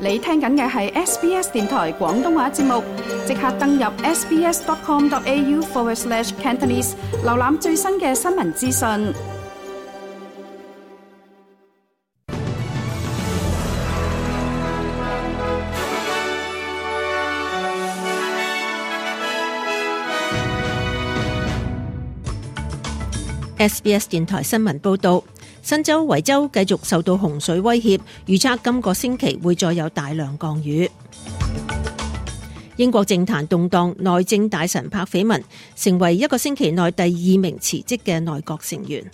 你聽緊嘅係 SBS 電台廣東話節目，即刻登入 sbs.com.au/Cantonese 瀏覽最新嘅新聞資訊。SBS 電台新聞報道，新州維州繼續受到洪水威脅，預測今個星期會再有大量降雨。英國政壇動盪，內政大臣柏斐文成為一個星期內第2名辭職嘅內閣成員。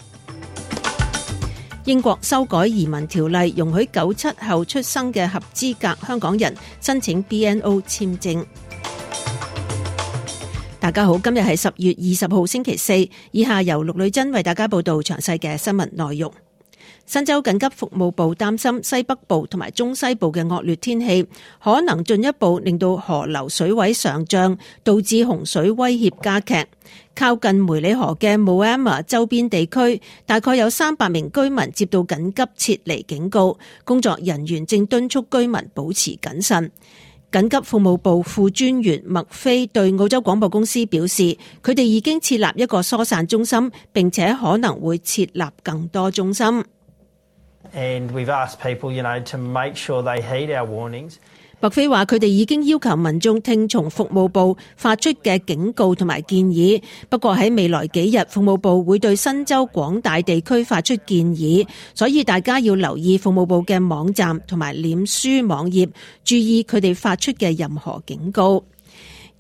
英國修改移民條例，容許97後出生嘅合資格香港人申請 BNO 簽證。大家好，今日係10月20號星期四，以下由陸女珍為大家報道詳細嘅新聞內容。新州緊急服務部擔心西北部同埋中西部嘅惡劣天氣可能進一步令到河流水位上漲，導致洪水威脅加劇。靠近梅里河嘅 Moama 周邊地區大概有300名居民接到緊急撤離警告，工作人員正敦促居民保持謹慎。緊急服務部副專員麥菲對澳洲廣播公司表示，佢哋已經設立一個疏散中心，並且可能會設立更多中心。And we've asked people, to make sure they heed our warnings. 麥菲話佢哋已經要求民眾聽從服務部發出嘅警告同埋建議，不過喺未來幾日，服務部會對新州廣大地區發出建議，所以大家要留意服務部嘅網站同埋臉書網頁，注意佢哋發出嘅任何警告。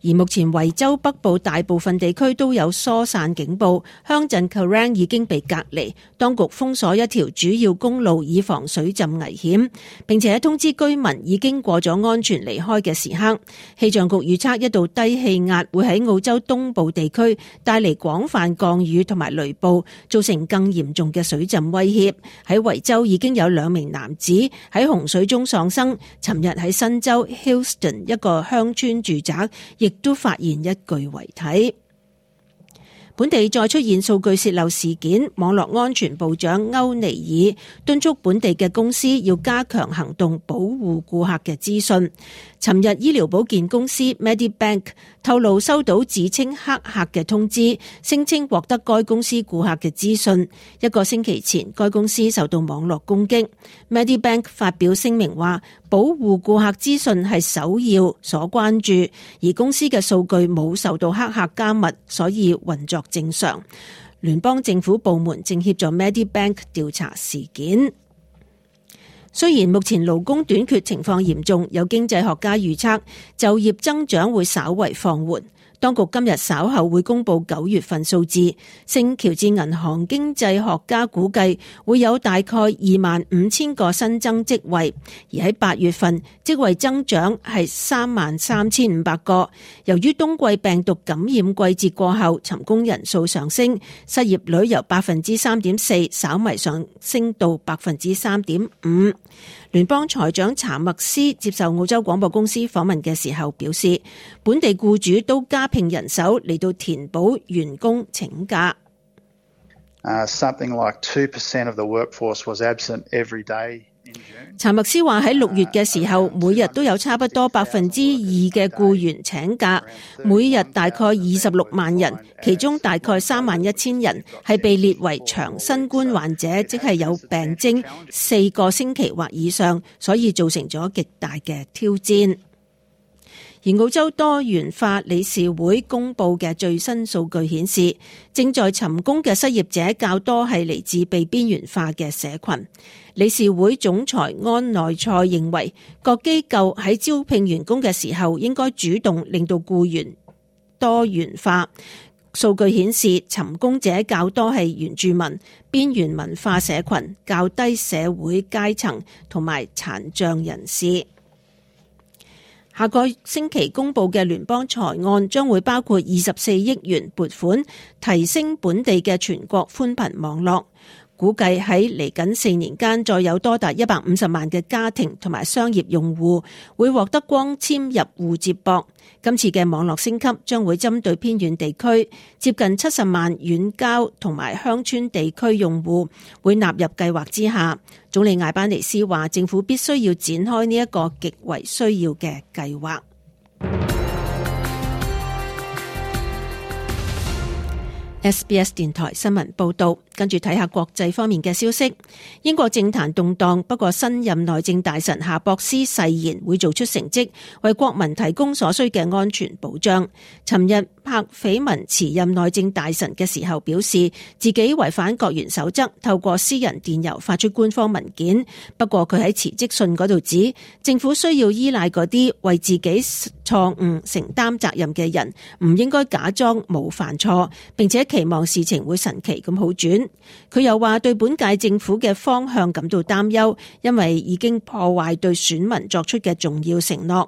而目前維州北部大部分地區都有疏散警報，鄉鎮 Kerang 已經被隔離，當局封鎖一條主要公路以防水浸危險，並且通知居民已經過咗安全離開嘅時刻。氣象局預測一道低氣壓會喺澳洲東部地區帶嚟廣泛降雨同埋雷暴，造成更嚴重嘅水浸威脅。喺維州已經有2名男子喺洪水中喪生，尋日喺新州 Hillston 一個鄉村住宅亦都發現一具遺體。本地再出現數據洩漏事件，網絡安全部長歐尼爾敦促本地嘅公司要加強行動，保護顧客嘅資訊。尋日醫療保健公司 Medibank 透露收到自稱黑客嘅通知，聲稱獲得該公司顧客嘅資訊。1個星期前，該公司受到網絡攻擊。Medibank 發表聲明話，保護顧客資訊係首要所關注，而公司嘅數據冇受到黑客加密，所以運作正常。聯邦政府部門正協助 Medibank 調查事件。雖然目前勞工短缺情況嚴重，有經濟學家預測就業增長會稍為放緩。當局今日稍後會公布9月份數字，聖喬治銀行經濟學家估計會有大概25,000個新增職位，而喺8月份職位增長係33,500個。由於冬季病毒感染季節過後，尋工人數上升，失業率由 3.4% 稍微上升到 3.5%。聯邦財長查默斯接受澳洲廣播公司訪問嘅時候表示，本地僱主都加聘人手嚟到填補員工請假。Something like 2% of the workforce was absent every day. 查默斯話喺6月嘅時候，每日都有差不多 2% 嘅僱員請假，每日大概26萬人，其中大概31,000人係被列為長新冠患者，即係有病徵4個星期或以上，所以造成咗極大嘅挑戰。而澳洲多元化理事會公布嘅最新數據顯示，正在尋工嘅失業者較多係嚟自被邊緣化嘅社群。理事會總裁安內塞認為，各機構喺招聘員工嘅時候應該主動令到僱員多元化。數據顯示，尋工者較多係原住民、邊緣文化社群、較低社會階層同埋殘障人士。下個星期公布嘅聯邦財案將會包括24億元撥款，提升本地嘅全國寬頻網絡。估計喺嚟緊4年間，再有多達150萬嘅家庭同埋商業用戶會獲得光纖入戶接駁。今次嘅網絡升級將會針對偏遠地區，接近70萬遠郊同埋鄉村地區用戶會納入計劃之下。總理艾班尼斯話，政府必須要展開呢一個極為需要嘅計劃。SBS 電台新聞報道，跟住睇下國際方面嘅消息。英國政壇動盪，不過新任內政大臣夏博斯誓言會做出成績，為國民提供所需嘅安全保障。尋日柏斐文辭任內政大臣嘅時候表示，自己違反國員守則，透過私人電郵發出官方文件。不過佢喺辭職信嗰度指，政府需要依賴嗰啲為自己錯誤承擔責任嘅人，唔應該假裝冇犯錯，並且期望事情會神奇咁好轉。佢又話對本屆政府嘅方向感到擔憂，因為已經破壞對選民作出嘅重要承諾。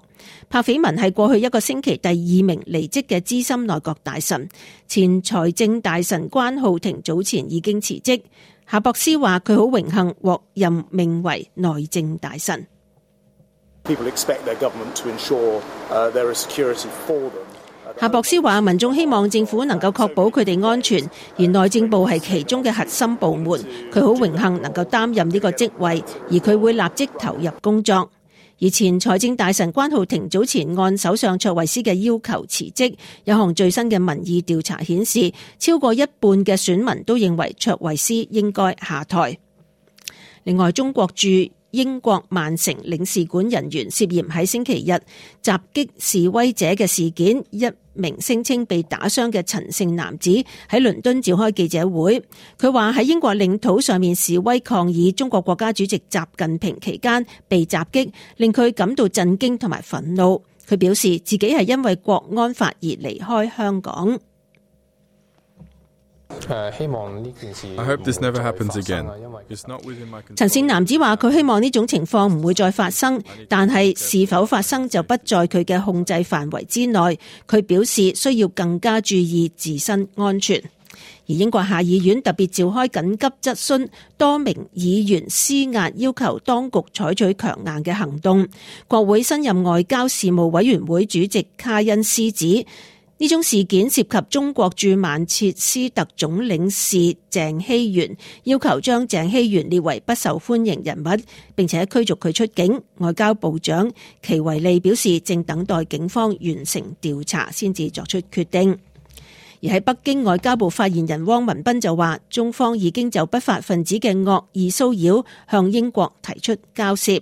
柏斐文係過去一個星期第2名離職嘅資深內閣大臣，前財政大臣關浩庭早前已經辭職。夏博斯話佢好榮幸獲任命為內政大臣。夏博斯話民眾希望政府能夠確保佢哋安全，而內政部係其中嘅核心部門。佢好榮幸能夠擔任呢個職位，而佢會立即投入工作。而前財政大臣關浩庭早前按首相卓慧思嘅要求辭職，有項最新嘅民意調查顯示，超過一半嘅選民都認為卓慧思應該下台。另外，中國駐英國曼城領事館人員涉嫌喺星期日襲擊示威者嘅事件，一名聲稱被打傷嘅陳姓男子喺倫敦召開記者會。佢話喺英國領土上面示威抗議中國國家主席習近平期間被襲擊，令佢感到震驚同埋憤怒。佢表示自己係因為國安法而離開香港。希望呢件事 I hope this never happens again. 陳姓男子話佢希望呢種情況唔會再發生，但係是否發生就不在佢嘅控制範圍之內。佢表示需要更加注意自身安全。而英國下議院特別召開緊急質詢，多名議員施壓要求當局採取強硬嘅行動。國會新任外交事務委員會主席卡恩斯指，呢種事件涉及中國駐曼徹斯特總領事鄭希元，要求將鄭希元列為不受歡迎人物，並且驅逐佢出境。外交部長奇維利表示，正等待警方完成調查先至作出決定。而喺北京，外交部發言人汪文斌就話，中方已經就不法分子嘅惡意騷擾向英國提出交涉。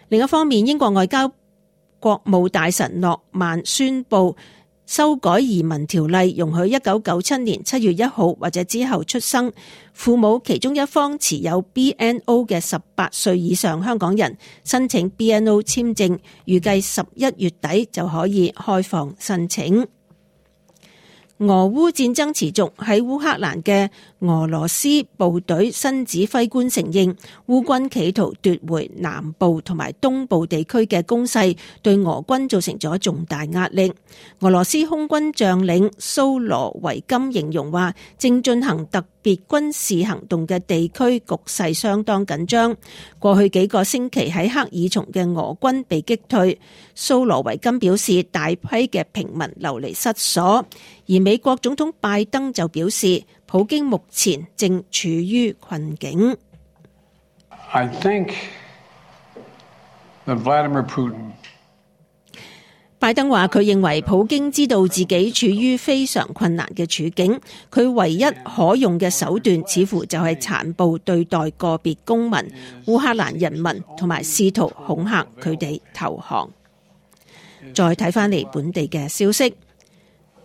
另一方面，英國外交國務大臣諾曼宣布修改移民條例，容許1997年7月1號或者之後出生、父母其中一方持有 BNO 嘅18歲以上香港人申請 BNO 簽證，預計11月底就可以開放申請。俄烏戰爭持續，喺烏克蘭嘅俄羅斯部隊新指揮官承認，烏軍企圖奪回南部同埋東部地區嘅攻勢，對俄軍造成咗重大壓力。俄羅斯空軍將領蘇羅維金形容話，正進行特別軍事行動嘅地區局勢相當緊張。過去幾個星期喺克爾松嘅俄軍被擊退。蘇羅維金表示，大批嘅平民流離失所。而美國總統拜登就表示，普京目前正處於困境。I think that Vladimir Putin拜登話佢認為普京知道自己處於非常困難嘅處境，佢唯一可用嘅手段似乎就係殘暴對待個別公民、烏克蘭人民，同埋試圖恐嚇佢哋投降。再睇返嚟本地嘅消息，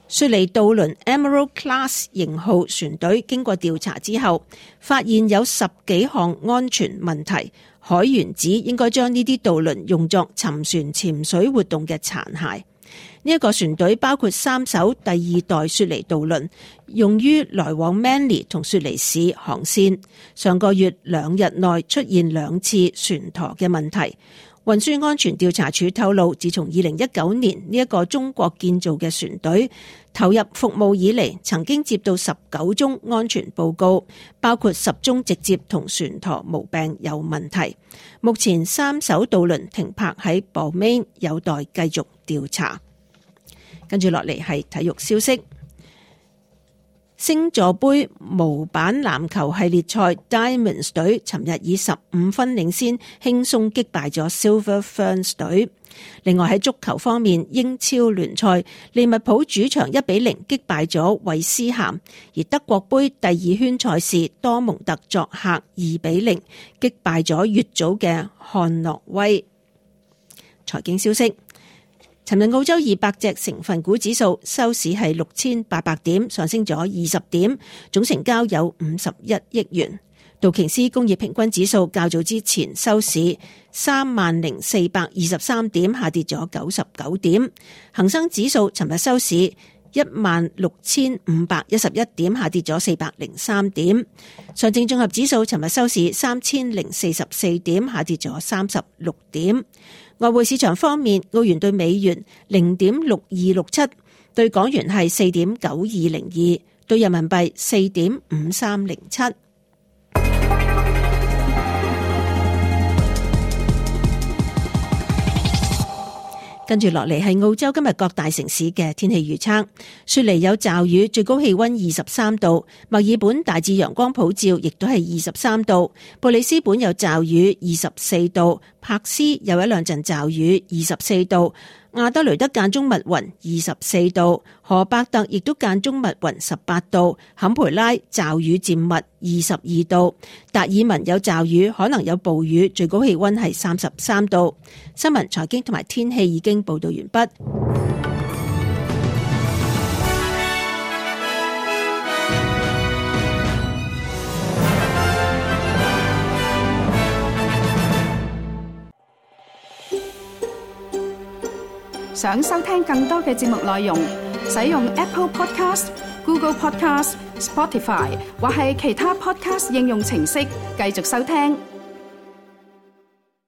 雪梨渡輪 Emerald Class 型號船隊經過調查之後，發現有10幾項安全問題。海員指應該將呢啲渡輪用作沉船潛水活動嘅殘骸。呢一個船隊包括3艘第2代雪梨渡輪，用於來往 Manly 同雪梨市航線。上個月2日內出現2次船舵嘅問題。運輸安全調查處透露，自從2019年呢一個中國建造嘅船隊投入服務以嚟，曾經接到19宗安全報告，包括10宗直接同船舵毛病有問題。目前3艘渡輪停泊喺博美，有待繼續調查。跟住落嚟係體育消息。星座杯模板籃球系列賽 Diamonds 隊尋日以15分領先，輕鬆擊敗咗 Silver Ferns 隊。另外喺足球方面，英超聯賽利物浦主場1-0擊敗咗韋斯咸，而德國杯第2圈賽事多蒙特作客2-0擊敗咗乙組嘅漢諾威。財經消息。尋日澳洲200隻成分股指數收市係6800點，上升咗20點，總成交有51億元。道瓊斯工業平均指數較早之前收市30423點，下跌咗99點。恒生指數尋日收市16511點，下跌咗403點。上證綜合指數尋日收市3044點，下跌咗36點。外匯市場方面，澳元對美元0.6267，對港元係4.9202，對人民幣4.5307。跟住落嚟係澳洲今日各大城市嘅天氣預測。雪梨有驟雨，最高氣溫23度；墨爾本大致陽光普照，亦都係23度；布里斯本有驟雨，24度；柏斯有一兩陣驟雨，24度；亞德雷德間中密雲，24度；荷伯特亦都間中密雲，18度；坎培拉驟雨漸密，22度；達爾文有驟雨，可能有暴雨，最高氣溫係33度。新聞、財經同埋天氣已經報道完畢。想收聽更多嘅節目內容，使用 Apple Podcast、Google Podcast、Spotify 或係其他 Podcast 應用程式繼續收聽。